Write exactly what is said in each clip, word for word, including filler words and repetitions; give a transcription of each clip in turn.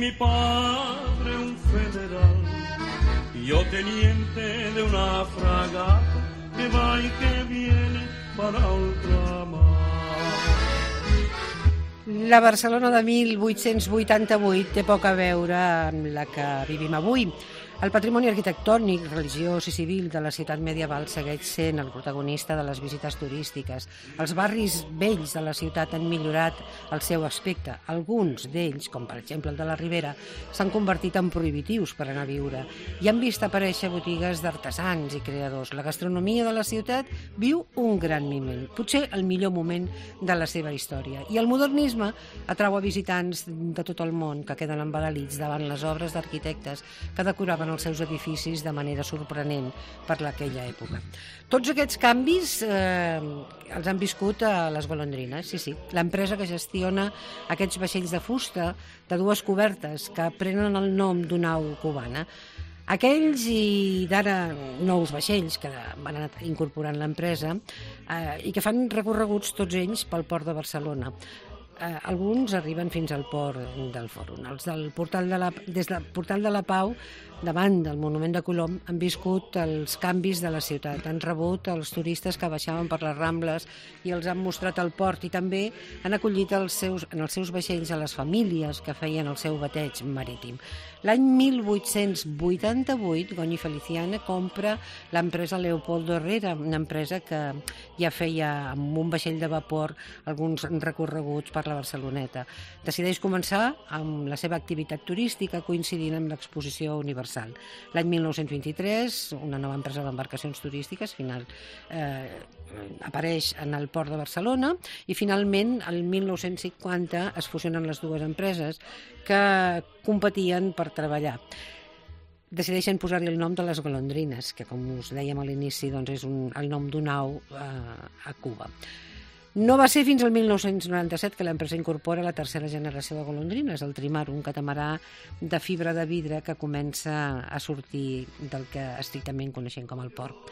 mi padre un federal, yo teniente de una fragata que va y que viene para ultramar. La Barcelona de mil vuit-cents vuitanta-vuit té poc a veure amb la que vivim avui. El patrimoni arquitectònic, religiós i civil de la ciutat medieval segueix sent el protagonista de les visites turístiques. Els barris vells de la ciutat han millorat el seu aspecte. Alguns d'ells, com per exemple el de la Ribera, s'han convertit en prohibitius per anar a viure i han vist aparèixer botigues d'artesans i creadors. La gastronomia de la ciutat viu un gran moment, potser el millor moment de la seva història. I el modernisme atrau a visitants de tot el món que queden embadalits davant les obres d'arquitectes que decoraven els seus edificis de manera sorprenent per aquella època. Tots aquests canvis eh, els han viscut a les Golondrines, sí, sí, l'empresa que gestiona aquests vaixells de fusta de dues cobertes que prenen el nom d'una au cubana. Aquells i d'ara nous vaixells que van anar incorporant l'empresa eh, i que fan recorreguts tots ells pel port de Barcelona. Eh, alguns arriben fins al port del Fòrum. Els del portal de la, des del Portal de la Pau, davant del Monument de Colom, han viscut els canvis de la ciutat. Han rebut els turistes que baixaven per les Rambles i els han mostrat el port i també han acollit els seus, en els seus vaixells a les famílies que feien el seu bateig marítim. L'any mil vuit-cents vuitanta-vuit, Goñi Feliciana compra l'empresa Leopoldo Herrera, una empresa que ja feia amb un vaixell de vapor alguns recorreguts per la Barceloneta. Decideix començar amb la seva activitat turística coincidint amb l'exposició universal. L'any mil nou-cents vint-i-tres, una nova empresa d'embarcacions turístiques final, eh, apareix en el port de Barcelona i finalment el mil nou-cents cinquanta es fusionen les dues empreses que competien per treballar. Decideixen posar-hi el nom de les Golondrines, que com us dèiem a l'inici doncs és un, el nom d'una au eh, a Cuba. No va ser fins al mil nou-cents noranta-set que l'empresa incorpora la tercera generació de golondrines, el Trimar, un catamarà de fibra de vidre que comença a sortir del que estrictament coneixem com el port.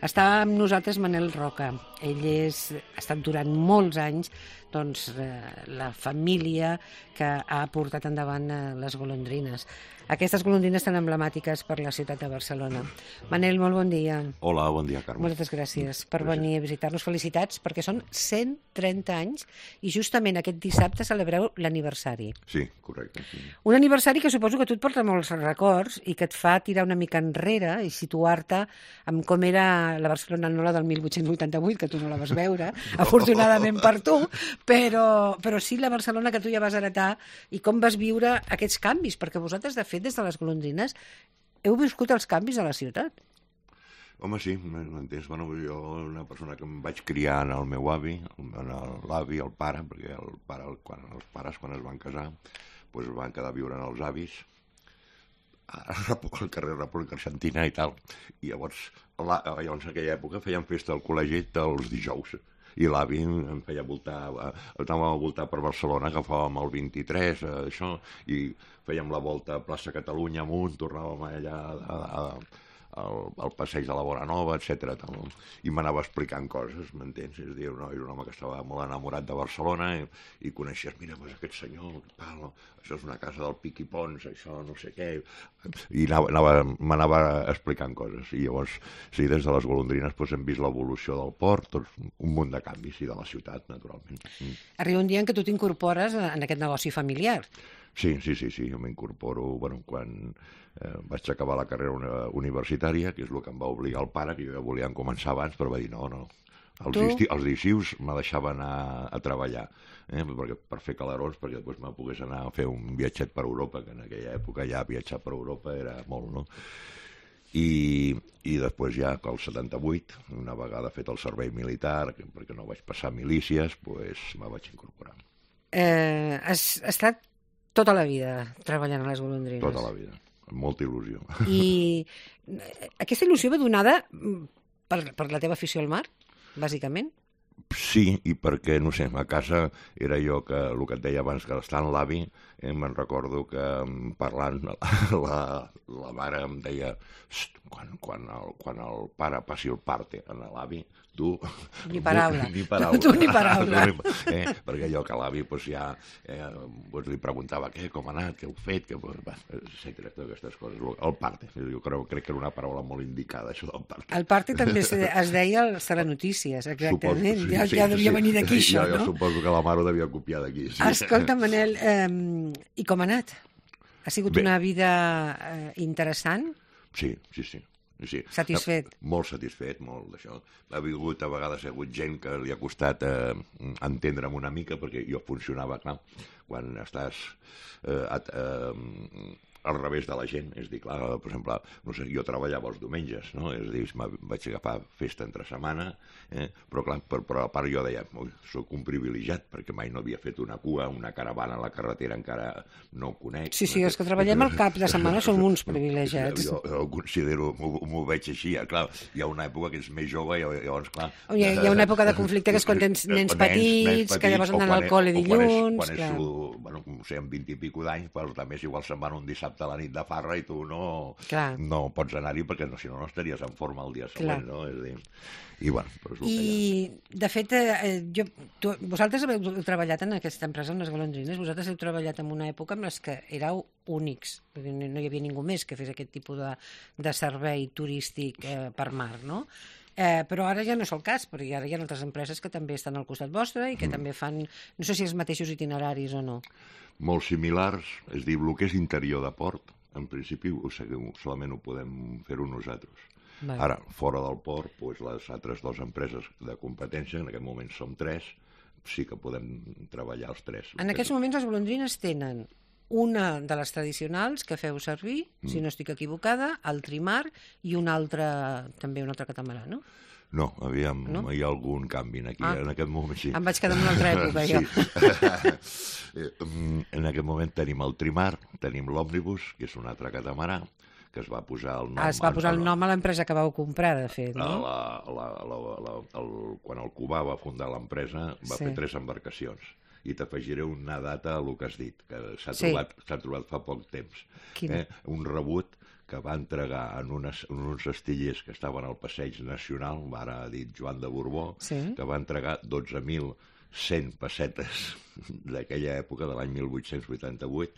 Està amb nosaltres Manel Roca. Ell és, ha estat durant molts anys doncs, eh, la família que ha portat endavant eh, les golondrines. Aquestes golondrines tan emblemàtiques per la ciutat de Barcelona. Manel, molt bon dia. Hola, bon dia, Carme. Moltes gràcies per venir a visitar-nos. Felicitats, perquè són cent trenta anys i justament aquest dissabte celebreu l'aniversari. Sí, correcte. Un aniversari que suposo que tu et porta molts records i que et fa tirar una mica enrere i situar-te amb com era la Barcelona, no la del mil vuit-cents vuitanta-vuit, que tu no la vas veure, afortunadament per tu, però, però sí la Barcelona que tu ja vas heretar i com vas viure aquests canvis, perquè vosaltres, de fet, des de les Golondrines, heu viscut els canvis a la ciutat. Home, sí, m'entens? Bueno, jo, una persona que em vaig criar en el meu avi, en l'avi, el pare, perquè el pare, quan, els pares, quan es van casar, doncs van quedar a viure en els avis, al carrer República Argentina i tal. I llavors, llavors, en aquella època, feien festa al col·legi dels dijous. I l'avi em feia voltar, anàvem a voltar per Barcelona, agafàvem el vint-i-tres, això, i fèiem la volta a plaça Catalunya amunt, tornàvem allà a, a, al, al passeig de la Bonanova, etcètera. I m'anava explicant coses, m'entens? És a dir, no, era un home que estava molt enamorat de Barcelona i, i coneixies, mira, pues, aquest senyor, tal, això és una casa del Piqui Pons, això no sé què, i m'anava explicant coses. I llavors, sí, des de les Golondrines pues, hem vist l'evolució del port, tots, un munt de canvis, i de la ciutat, naturalment. Mm. Arriba un dia en què tu t'incorpores en aquest negoci familiar. Sí, sí, sí, sí, jo m'incorporo, bueno, quan eh, vaig acabar la carrera universitària, que és el que em va obligar el pare, que jo ja volia començar abans, però va dir, no, no, els, esti, els estius me deixaven anar a treballar, eh, perquè, per fer calarons, perquè després me pogués anar a fer un viatget per Europa, que en aquella època ja viatjar per Europa era molt, no? I, i després ja, al setanta-vuit, una vegada fet el servei militar, perquè no vaig passar milícies, doncs me vaig incorporar. Eh, has estat tota la vida treballant a les Golondrines. Tota la vida, amb molta il·lusió. I aquesta il·lusió va donada per, per la teva afició al mar, bàsicament? Sí, i perquè, no sé, a casa era jo que, el que et deia abans, que estant l'avi, eh, me'n recordo que parlant, la, la mare em deia, quan, quan, el, quan el pare passi el parte a l'avi, tu... Ni paraula. Ni paraula. Tu, tu ni paraula. eh? Perquè allò que l'avi pues, ja eh, pues, li preguntava què, com ha anat, què heu fet, que, etcètera, totes aquestes coses. El parte, jo crec, crec que era una paraula molt indicada, això del parte. El parte també es, es deia el telenotícies, exactament. Suposo, sí, ja, sí, ja devia sí, venir d'aquí, sí, això, jo, no? Jo suposo que la mare ho devia copiar d'aquí. Sí. Escolta, Manel, eh, i com ha anat? Ha sigut Bé. una vida eh, interessant? Sí, sí, sí. Sí. Satisfet? Molt satisfet, molt d'això. Ha hagut, a vegades, ha hagut gent que li ha costat eh, entendre'm una mica, perquè jo funcionava, clar, quan estàs eh, at, eh, al revés de la gent, és dir, clar, per exemple, no sé, jo treballava els diumenges, no? És dir, vaig agafar festa entre setmana, eh? però clar, per, per a part jo deia, soc un privilegiat, perquè mai no havia fet una cua, una caravana a la carretera encara no ho conec. Sí, sí, els que treballem al cap de setmana som uns privilegiats. Jo, jo ho considero, m'ho veig així, clar, hi ha una època que ets més jove i llavors, clar... Hi ha, hi ha una època de conflicte que és quan tens nens, nens petits, nens petits, que llavors han al col·le dilluns... Quan és, quan és bueno, no sé, amb vint i pico d'anys, però també igual se'n van un dissabte a la nit de farra i tu no, no pots anar-hi perquè no, si no, no estaries en forma el dia següent, Clar. no? És dir, i, bueno, però és I, de fet, eh, jo, tu, vosaltres heu treballat en aquesta empresa, en les golondrines, vosaltres heu treballat en una època en les que éreu únics, no hi havia ningú més que fes aquest tipus de, de servei turístic eh, per mar, no? Eh, però ara ja no és el cas, perquè ara hi ha altres empreses que també estan al costat vostre i que mm. també fan, no sé si els mateixos itineraris o no. Molt similars, és dir, el que és interior de port, en principi o sigui, solament ho podem fer-ho nosaltres. Vale. Ara, fora del port, doncs, les altres dues empreses de competència, en aquest moment som tres, sí que podem treballar els tres. En aquests moments les golondrines tenen una de les tradicionals que feu servir, mm. si no estic equivocada, el trimar, i una altra, també una altra catamarà, no? No, aviam, no? Hi ha algun canvi aquí, ah. en aquest moment sí. Em vaig quedar en una altra època, jo. En aquest moment tenim el trimar, tenim l'òmnibus, que és un altre catamarà, que es va posar el nom... Ah, es va posar el nom a l'empresa que vau comprar, de fet, no? La, la, la, la, el, quan el Cubà va fundar l'empresa, va sí. fer tres embarcacions. I t'afegiré una data a el que has dit, que s'ha sí. trobat, s'ha trobat fa poc temps. Eh? Un rebut que va entregar en, unes, en uns astillers que estaven al Passeig Nacional, ara dit Joan de Borbó, sí. que va entregar dotze mil cent pessetes d'aquella època, de l'any mil vuit-cents vuitanta-vuit,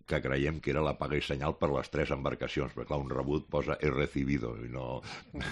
que creiem que era la paga i senyal per les tres embarcacions, perquè clar, un rebut posa he recibido, i no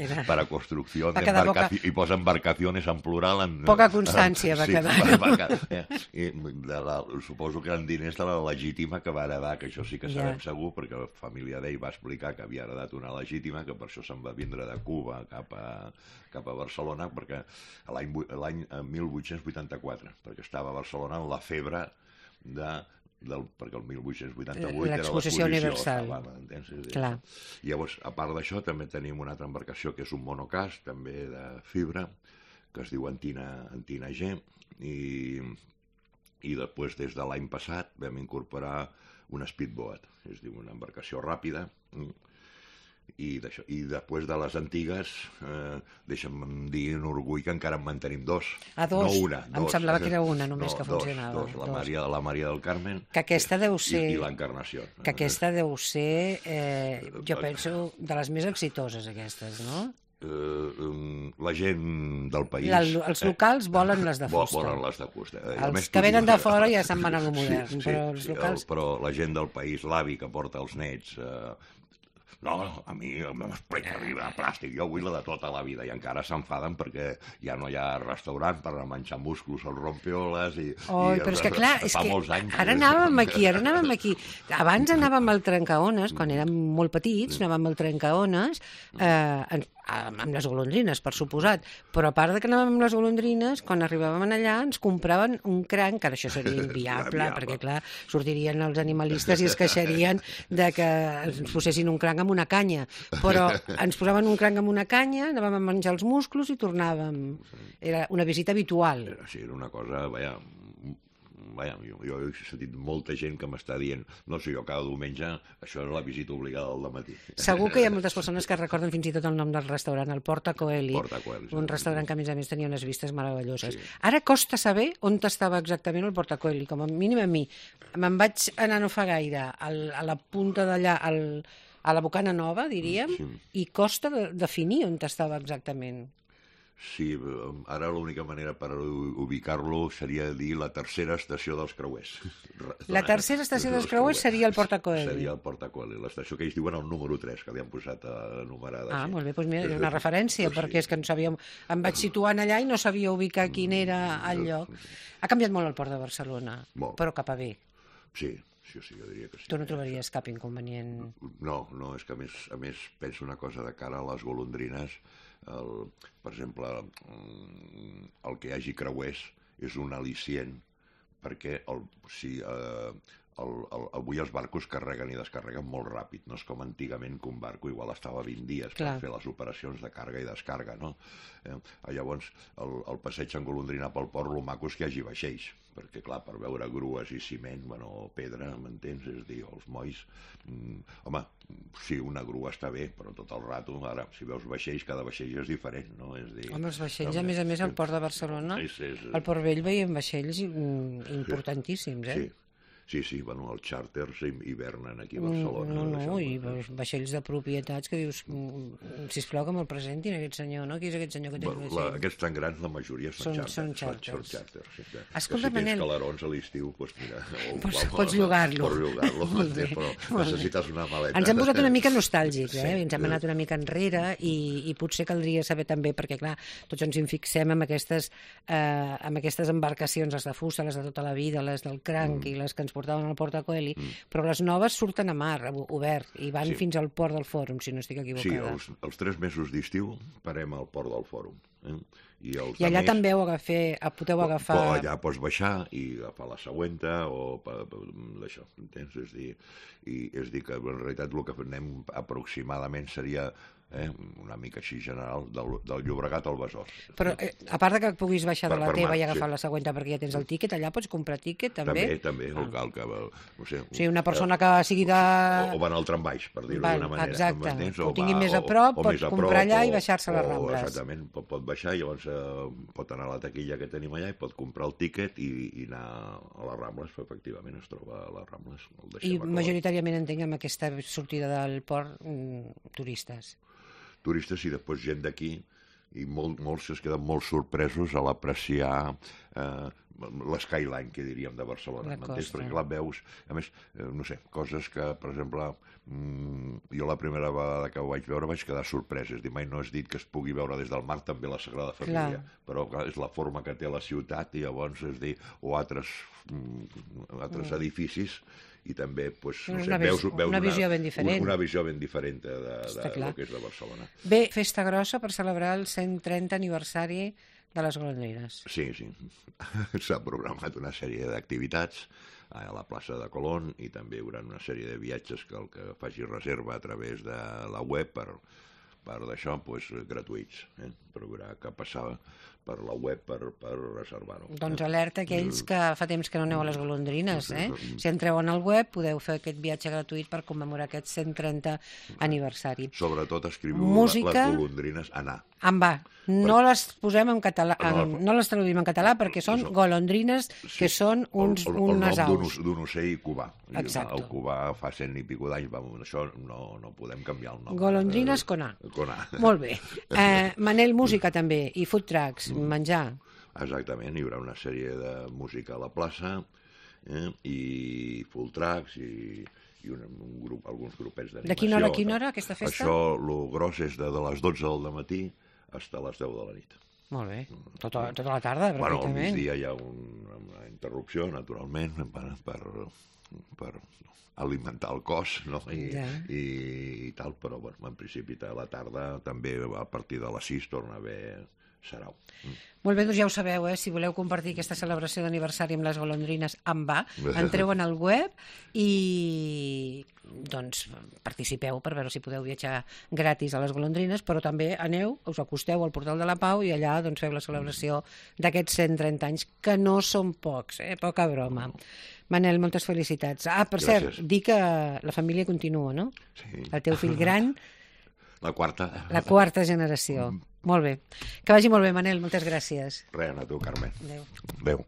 era... para construcció, va poca... i posa embarcaciones en plural. En... Poca constància va sí, quedar. Va, va quedar eh? I de la, suposo que eren diners de la legítima que va heredar, que això sí que sabem yeah. segur, perquè la família d'ell va explicar que havia heredat una legítima, que per això se'n va vindre de Cuba cap a, cap a Barcelona, perquè l'any mil vuit-cents vuitanta-quatre, perquè estava a Barcelona en la febre de... Del, perquè el mil vuit-cents vuitanta-vuit era l'exposició universal. Estava, I llavors, a part d'això, també tenim una altra embarcació que és un monocast, també de fibra, que es diu Antina, Antina G, i, i després, des de l'any passat, vam incorporar una speedboat, és dir, una embarcació ràpida, i, i després de les antigues, eh, deixa'm dir un orgull que encara en mantenim dos. Ah, dos? No una, dos. Em semblava que era una només no, que funcionava. Dos, dos. La, dos. Maria, la Maria del Carmen que aquesta deu ser, i, i l'Encarnació. Que aquesta deu ser, eh, jo penso, de les més exitoses, aquestes, no? Uh, la gent del país... La, els locals eh, volen les de fusta. Volen les de fusta. Eh, els que venen de fora ja se'n van a lo modern, sí, sí, però els sí, locals... El, però la gent del país, l'avi que porta els nets... Eh, no, a mi m'explica arriba a plàstic, jo vull la de tota la vida, i encara s'enfaden perquè ja no hi ha restaurant per menjar musclos als rompeoles i... Oh, i però és que clar, és que anys, ara anàvem aquí, ara anàvem aquí. Abans anàvem al trencaones, quan érem molt petits, anàvem al trencaones, eh, amb les golondrines, per suposat, però a part de que anàvem amb les golondrines, quan arribàvem allà ens compraven un cranc, que ara això seria inviable, perquè clar, sortirien els animalistes i es queixarien de que ens posessin un cranc amb una canya, però ens posaven un cranc amb una canya, anàvem a menjar els musclos i tornàvem. Era una visita habitual. Sí, era una cosa, vaja... Vaja, jo, jo he sentit molta gent que m'està dient no sé, jo cada diumenge això és la visita obligada al dematí. Segur que hi ha moltes persones que recorden fins i tot el nom del restaurant, el Porta Coeli, Porta Coeli sí, un restaurant que a més a més tenia unes vistes meravelloses. Sí. Ara costa saber on estava exactament el Porta Coeli, com a mínim a mi. Me'n vaig anar no fa gaire al, a la punta d'allà, al, a la Bocana Nova, diríem, sí. I costa de, definir on estava exactament. Sí, ara l'única manera per ubicar-lo seria dir la tercera estació dels creuers. La tercera estació dels creuers seria el Portacoeli. Seria el Portacoeli, l'estació que ells diuen el número tres, que li han posat numerada. Ah, molt bé, doncs mira, és una referència, perquè és que no sabíem, em vaig situant allà i no sabia ubicar quin era el lloc. Ha canviat molt el Port de Barcelona, però cap a bé. Sí, sí, sí, jo diria que sí. Tu no trobaries cap inconvenient? No, no, és que a més, a més penso una cosa de cara a les golondrines. El, per exemple, el que hi hagi creuers és un al·licient perquè el, si, eh, el, el, avui els barcos carreguen i descarreguen molt ràpid, no és com antigament que un barco igual estava vint dies Clar. per fer les operacions de càrrega i descarga, no? Eh, llavors, el, el passeig en golondrina pel port, el maco és que hi hagi vaixells, perquè clar, per veure grues i ciment, bueno, o pedra, m'entens? És a dir, els molls, mm, home, sí, una grua està bé, però tot el rato, ara, si veus vaixells, cada vaixell és diferent, no? És dir, home, els vaixells, a més a més, al Port de Barcelona, és, és, al Port Vell veiem vaixells importantíssims, eh? Sí. Sí, sí, bueno, els xàrters hivernen aquí a Barcelona. No, no, no i vaixells de propietats que dius, sisplau que me'l presentin aquest senyor, no? Qui és aquest senyor que té el vaixell? Aquests tan grans, la majoria són xàrters. Són xàrters. Són xàrters. Escolta, Manel... Si tens calarons a l'estiu, doncs mira... Pots llogar-lo. Pots llogar-lo, però necessites una maleta. Ens hem posat una mica nostàlgics, eh? Ens hem anat una mica enrere i potser caldria saber també, perquè clar, tots ens hi fixem amb aquestes embarcacions, les de fusta, les de tota la vida, les del cranc i les que ens portaven al Portacoeli, mm. però les noves surten a mar, obert, i van sí. fins al port del Fòrum, si no estic equivocada. Sí, els, els tres mesos d'estiu parem al port del Fòrum. Eh? I, I allà més, també ho agafé, podeu agafar... Allà pots baixar i agafar la següenta o d'això, entens? És dir, i, és dir, que en realitat el que anem aproximadament seria... Eh, una mica així general, del, del Llobregat al Besòs. Però eh, a part de que puguis baixar per, de la teva mar, i agafar sí. la següent perquè ja tens el tíquet, allà pots comprar tíquet també? També, també, ah. el cal que... No sé, o sigui, una persona que sigui de... O, o van al trambaix, per dir-ho d'una manera. Exacte, o, o tingui va, més a prop, o, pot a comprar prop, allà o, i baixar-se a les Rambles. Exactament, pot, pot baixar i llavors eh, pot anar a la taquilla que tenim allà i pot comprar el tíquet i, i anar a les Rambles, efectivament es troba a les Rambles. I majoritàriament entenc amb aquesta sortida del port mm, turistes. turistes i després gent d'aquí i molt, molts es queden molt sorpresos a l'apreciar eh, l'skyline, que diríem, de Barcelona. M'entens? Perquè clar, veus, a més, eh, no sé, coses que, per exemple, mmm, jo la primera vegada que ho vaig veure vaig quedar sorprès. És dir, mai no has dit que es pugui veure des del mar també la Sagrada Família, clar. Però clar, és la forma que té la ciutat i llavors, és dir, o altres, mm, altres mm. edificis i també, doncs, no sé, veus, veus una visió ben diferent. Una visió ben diferent de, de, de, de lo que és de Barcelona. Bé, festa grossa per celebrar el cent trenta aniversari de les golondrines. Sí, sí. S'ha programat una sèrie d'activitats a la plaça de Colón i també hi haurà una sèrie de viatges que el que faci reserva a través de la web per, per d'això, doncs, gratuïts. Eh? Però haurà que passar per la web per, per reservar-ho. Doncs alerta aquells que fa temps que no aneu a les golondrines, eh? Si entreu en el web podeu fer aquest viatge gratuït per commemorar aquest cent trenta aniversari. Sobretot escriviu Música... les golondrines anar. En va. No per... les posem en català, en... no les traduïm en català perquè són golondrines que sí. són uns, el, el, unes el nom aus. d'un ocell cubà. Exacte. El cubà fa cent i pico d'anys, això no, no podem canviar el nom. Golondrines con A. Con A. Molt bé. Eh, Manel, música també, i food trucks, mm. menjar. Exactament, hi haurà una sèrie de música a la plaça eh, i full tracks i, i un, un grup, alguns grupets d'animació. De quina hora a quina hora, aquesta festa? Això, el gros és de, de les dotze del matí fins a les deu de la nit. Molt bé, tota, tota la tarda, pràcticament. Bueno, al migdia hi ha un, una interrupció, naturalment, per, per, per alimentar el cos, no? I, ja. i, i tal, però bueno, en principi a la tarda també a partir de les sis torna a haver sarau. Mm. Molt bé, doncs ja ho sabeu, eh? Si voleu compartir aquesta celebració d'aniversari amb les golondrines, en va, entreu en el web i doncs participeu per veure si podeu viatjar gratis a les golondrines, però també aneu, us acosteu al Portal de la Pau i allà doncs feu la celebració d'aquests cent trenta anys, que no són pocs, eh? Poca broma. Manel, moltes felicitats. Ah, per Gràcies. Cert, dir que la família continua, no? Sí. El teu fill gran... La quarta. La quarta generació. Mm. Molt bé. Que vagi molt bé, Manel. Moltes gràcies. Res, a tu, Carme. Adéu. Adéu.